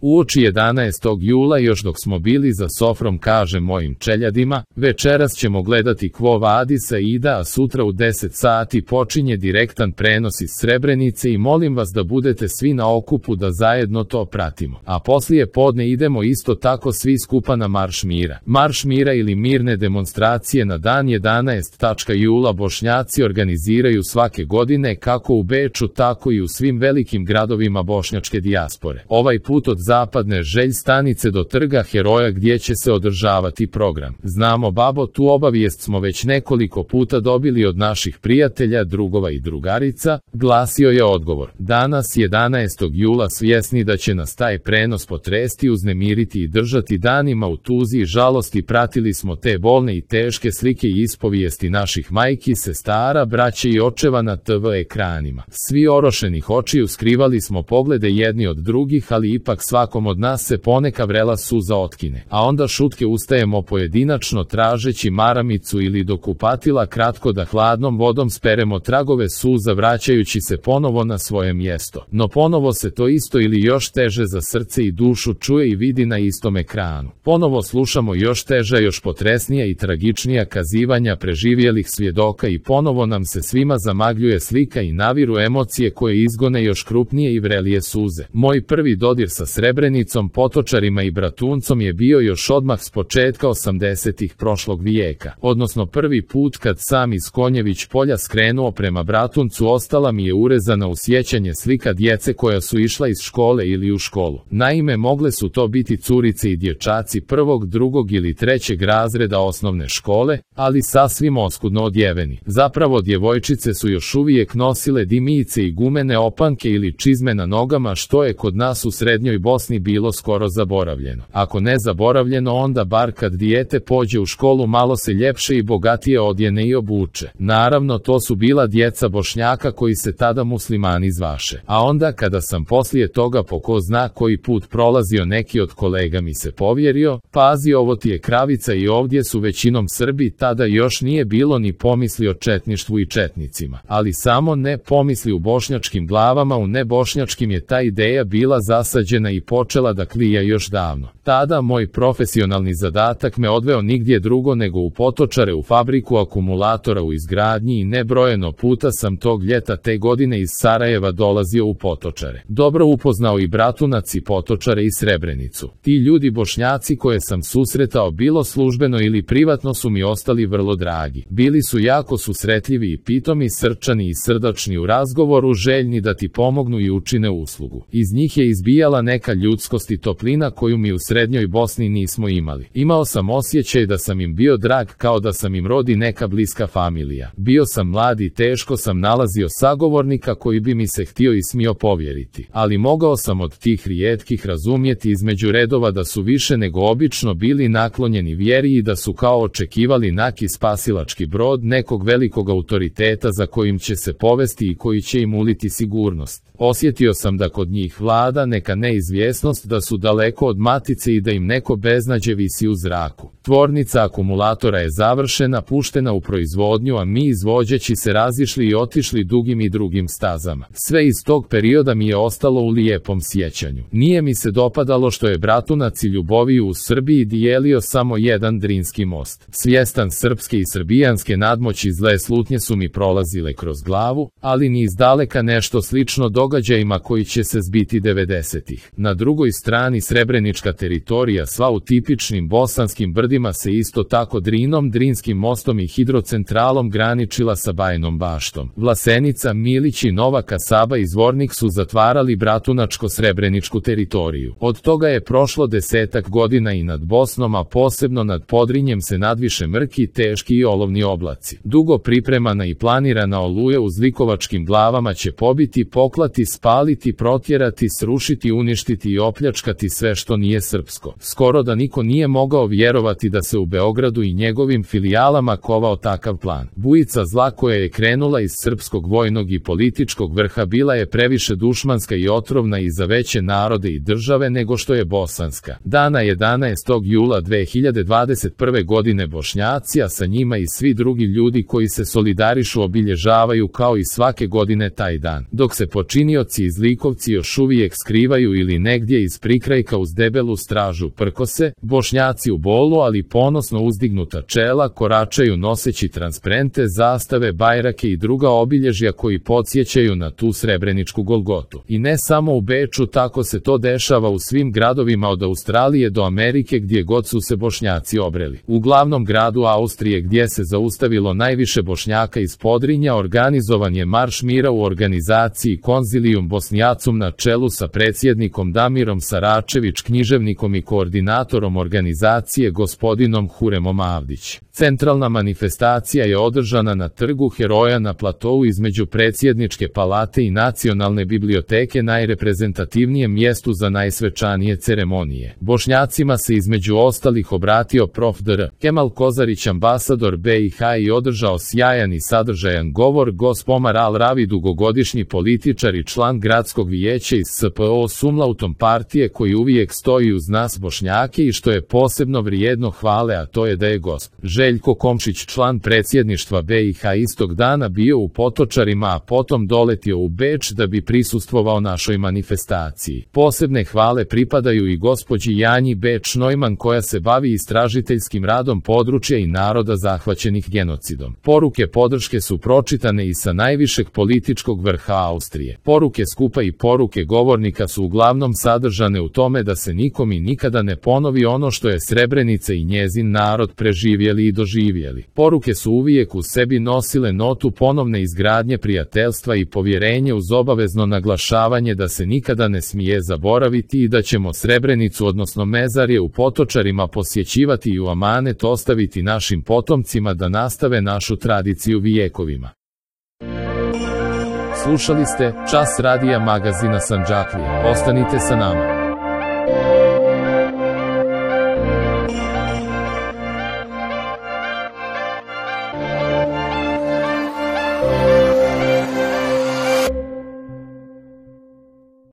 Uoči 11. jula još dok smo bili za sofrom kaže mojim čeljadima, večeras ćemo gledati Quo Vadis Aida, a sutra u 10 sati počinje direktan prenos iz Srebrenice i molim vas da budete svi na okupu da zajedno to pratimo. A poslije podne idemo isto tako svi skupa na Marš mira. Marš mira ili mirne demonstracije na dan 11. jula Bošnjaci organiziraju svake godine kako u Beču tako i u svim velikim gradovima bošnjačke dijaspore. Ovaj put od zapadne Želj stanice do trga Heroja gdje će se održavati program. Znamo babo, tu obavijest smo već nekoliko puta dobili od naših prijatelja, drugova i drugarica, glasio je odgovor. Danas 11. jula svjesni da će nas taj prenos potresti, uznemiriti i držati danima u tuzi i žalosti pratili smo te bolne i teške slike i ispovijesti naših majki, sestara, braće i očeva na TV ekranima. Svi orošenih očiju skrivali smo poglede jedni od drugih, ali ipak svakom od nas se poneka vrela suza otkine, a onda šutke ustajemo pojedinačno tražeći maramicu ili do kupatila kratko da hladnom vodom speremo tragove suza vraćajući se ponovo na svoje mjesto. No ponovo se to isto ili još teže za srce i dušu čuje i vidi na istom ekranu. Ponovo slušamo još teža, još potresnija i tragičnija kazivanja preživjelih svjedoka i ponovo nam se svima zamagljuje slika i naviru emocije koje izgone još krupnije i vrelije suze. Moj prvi dodir sa Srebrenicom, Potočarima i Bratuncom je bio još odmah s početka 80-ih prošlog vijeka, odnosno prvi put kad sam iz Konjević polja skrenuo prema Bratuncu ostala mi je urezana u sjećanje slika djece koja su išla iz škole ili u školu. Naime, mogle su to biti curice i dječaci prvog, drugog ili trećeg razreda osnovne škole, ali sasvim oskudno odjeveni. Zapravo djevojčice su još uvijek nosile dimice i gumene opanke ili čizme na nogama, što je kod nas u srednjoj Bosni bilo skoro zaboravljeno. Ako ne zaboravljeno, onda bar kad dijete pođe u školu malo se ljepše i bogatije odjene i obuče. Naravno, to su bila djeca Bošnjaka koji se tada muslimani zvaše. A onda kada sam poslije toga po ko zna koji put prolazio, neki od kolega mi se povjerio, pazi, ovo ti je kravica i ovdje su većinom Srbi, tada još nije bilo ni pomisli o četništvu i četnicima. Ali samo ne pomisli u bošnjačkim glavama, u nebošnjačkim je ta ideja bila zasađena i počela da klija još davno. Tada moj profesionalni zadatak me odveo nigdje drugo nego u Potočare, u fabriku akumulatora u izgradnji i nebrojeno puta sam tog ljeta te godine iz Sarajeva dolazio u Potočare. Dobro upoznao i Bratunac i Potočare i Srebrenicu. Ti ljudi Bošnjaci koje sam susretao bilo službeno ili privatno su mi ostali vrlo dragi. Bili su jako susretljivi i pitomi, srčani i srdačni u razgovoru, željni da ti pomognu i učine uslugu. Iz njih je izbijala neka ljudskost i toplina koju mi u srednjoj Bosni nismo imali. Imao sam osjećaj da sam im bio drag, kao da sam im rodi neka bliska familija. Bio sam mlad i teško sam nalazio sagovornika koji bi mi se htio i smio povjeriti. Ali mogao sam od tih rijetkih razumjeti između redova da su više nego obično bili naklonjeni vjeri i da su kao očekivali neki spasilački brod nekog velikog autoriteta za kojim će se povesti i koji će im uliti sigurnost. Osjetio sam da kod njih vlada neka neizvjesnost, da su daleko od matice i da im neko beznađe visi u zraku. Tvornica akumulatora je završena, puštena u proizvodnju, a mi izvođeći se razišli i otišli dugim i drugim stazama. Sve iz tog perioda mi je ostalo u lijepom sjećanju. Nije mi se dopadalo što je Bratunac i Ljuboviju u Srbiji dijelio samo jedan Drinski most. Svjestan srpske i srbijanske nadmoći, zle slutnje su mi prolazile kroz glavu, ali ni izdaleka nešto slično događajima koji će se zbiti 90-ih. Na drugoj strani srebrenička teritorija, sva u tipičnim bosanskim brdima, se isto tako Drinom, Drinskim mostom i hidrocentralom graničila sa Bajnom Baštom. Vlasenica, Milić i Nova Kasaba i Zvornik su zatvarali bratunačko-srebreničku teritoriju. Od toga je prošlo 10-ak godina i nad Bosnom, a posebno nad Podrinjem, se nadviše mrki, teški i olovni oblaci. Dugo pripremana i planirana oluja u zlikovačkim glavama će pobiti, poklati, spaliti, protjerati, srušiti, uništiti i opljačkati sve što nije srpsko. Skoro da niko nije mogao vjerovati da se u Beogradu i njegovim filijalama kovao takav plan. Bujica zla koja je krenula iz srpskog vojnog i političkog vrha bila je previše dušmanska i otrovna i za veće narode i države nego što je bosanska. Dana 11. jula 2021. godine Bošnjaci, a sa njima i svi drugi ljudi koji se solidarišu, obilježavaju kao i svake godine taj dan. Dok se počinioci i zlikovci još uvijek skrivaju ili negdje iz prikrajka uz debelu stražu prkose, Bošnjaci u bolu ali ponosno uzdignuta čela koračaju noseći transparente, zastave, bajrake i druga obilježja koji podsjećaju na tu srebreničku Golgotu. I ne samo u Beču, tako se to dešava u svim gradovima od Australije do Amerike gdje god su se Bošnjaci obreli. U glavnom gradu Austrije gdje se zaustavilo najviše Bošnjaka iz Podrinja organizovan je Marš mira u organizaciji Konzilijum Bosnjacum na čelu sa predsjednikom Damirom Saračević, književnikom i koordinatorom organizacije gospodinom Huremom Avdić. Centralna manifestacija je održana na Trgu Heroja na platou između predsjedničke palate i Nacionalne biblioteke, najreprezentativnijem mjestu za najsvečanije ceremonije. Bošnjacima se između ostalih obratio prof. dr. Kemal Kozarić, ambasador BiH, i održao sjajan i sadržajan govor. Gosp. Omar Al-Ravi, dugogodišnji političar i član gradskog vijeća iz SPO Sumlautom partije koji uvijek stoji uz nas Bošnjake i što je posebno vrijedno hvale, a to je da je gosp. Željko Komšić, član predsjedništva BiH, istog dana bio u Potočarima, a potom doletio u Beč da bi prisustvovao našoj manifestaciji. Posebne hvale pripadaju i gospođi Janji Beč Neumann koja se bavi istražiteljskim radom područja i naroda zahvaćenih genocidom. Poruke podrške su pročitane i sa najvišeg političkog vrha Austrije. Poruke skupa i poruke govornika su uglavnom sadržane u tome da se nikom i nikada ne ponovi ono što je Srebrenica i njezin narod preživjeli i doživjeli. Poruke su uvijek u sebi nosile notu ponovne izgradnje prijateljstva i povjerenje uz obavezno naglašavanje da se nikada ne smije zaboraviti i da ćemo Srebrenicu, odnosno mezarje u Potočarima, posjećivati i u amanet ostaviti našim potomcima da nastave našu tradiciju vijekovima. Slušali ste Čas radija magazina Sandžaklija. Ostanite sa nama.